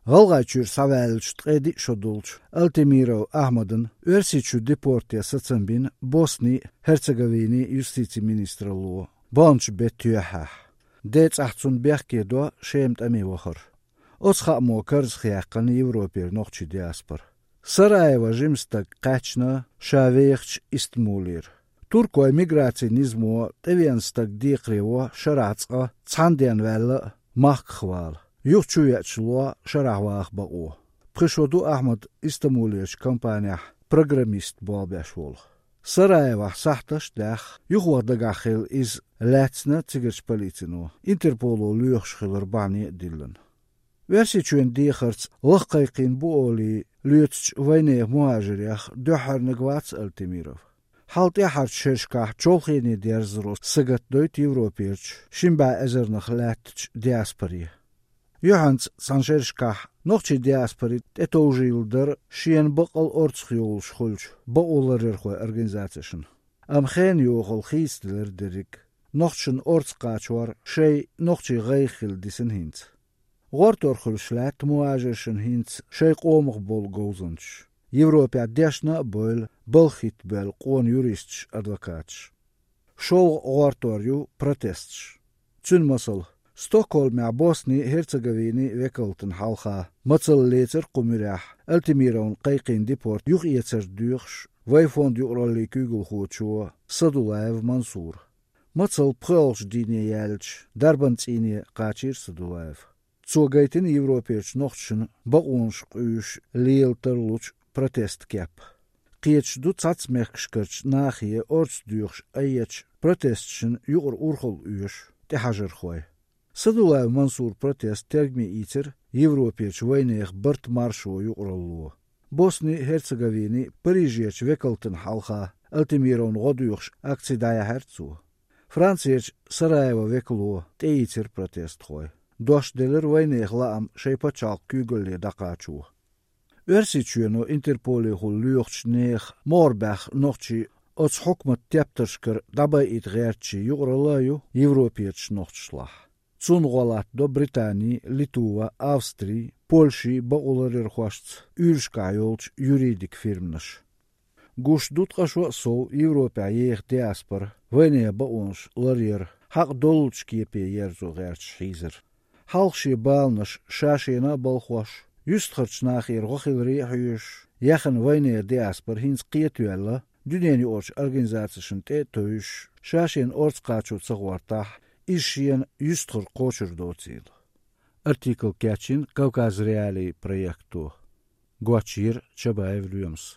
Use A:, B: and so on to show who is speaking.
A: Galgayçur savelç tqedi şodulç Altemiro Ahmadın örsiçü deportiya satsambin Bosni Herzegovini justici ministroluğu. Bonç betüyah. Dets ahtsun berkedo şemt amivohor. Otsxamo karzxyaqan Европер noqçi diaspor. Sarayeva jimstak qaçna şaveyxç istmulir. Turko emigracinizmo tevianstak diqrevo şaratsqa çandian valla mahkhval. Yuhçuyaçluğa şarahvaq baqo. Prişodu Ahmad İstanbuliyeç kompanya programist bolbeşvol. Sarayeva sahtaş dax yuhvardagaxil iz Latsna tigirç politino. Interpolo lüyxşxilır bani dillan. Versiçuen dixarts laqayqin bu oli lüytç vaynaya muhajiriyaq döharnigvats Altemirov. Halt yaxart şerşkah çolxini derzros sıgat doyt Evropirç şimba ezernix latç diaspori. Johans sanşerşkah noqçi diaspori etouжилдыр şien baqal ortsxyol şxulç baqolarırxo organizatsiyasın. Amxen yoxol xistler derik. Noqçun ortsqaçwar şey noqçi qayxil disin hint. Gortorxulşlat muajirşin hint şey qomuq bol gozunç. Европа дешна бол болхит бел qon juristç advokatç. Şol gortoryu protestç. Çün masal Stockholm'a Bosni Herzegovini vekaltın halqa matsal leter qumurah Altemirovun qayqin deport yuq yeter düğüş vay fond yuqralli kügül xoçu Sadulayev Mansur. Matsal pxalç dine yelç darbantsini qaçir Sadulayev. Çogaytin Evroperç noqçun baqonş qüyüş leelterluç protest kep. Qiyeç du tsatsmekşkirç nahiye orts düğüş ayyeç protestçin yuqur urxul üyüş tehajır xoy. Sadulayev Mansur protest tergmi itir Evroperç vaynayıq bırt marşo yuqrallu. Bosni Herzegovini Parijyeç vekaltın halqa Altemirovun goduyuqş aksidaya hertsu. Fransiyech Sarayeva veklu teitir protest xoy. Doş delir vaynayıq laam şeypaçalq kügülli daqaçu. Örsiçüyenu Interpoli hul lüyuqç neğ morbax noqçi ots hukmat teptırşkır dabay it gərçi yuqralayu Evroperç noqçşlah. Цунголат до Британии, Литва, Австрии, Польши бaqolarır xoşç ürşkayolç юридик фирмнаш. Guş dutqaşo sov Европа yeğ diaspor vene baonş laryer haq dolç kepe yerzo gərç hizir. Halqşi balnaş şaşena balxoş. Justxırç naxir qoxilri hüyüş. Yaxın vene diaspor hins qiyetüella dünyani orç organizatsiyasın te töyüş. Şaşen orç qaçu tsağvartah. İşyen yüstür qoçur docil. Artikl Kaçin Kavkaz Reali proyektu. Guaçir Çabayev Lüyums.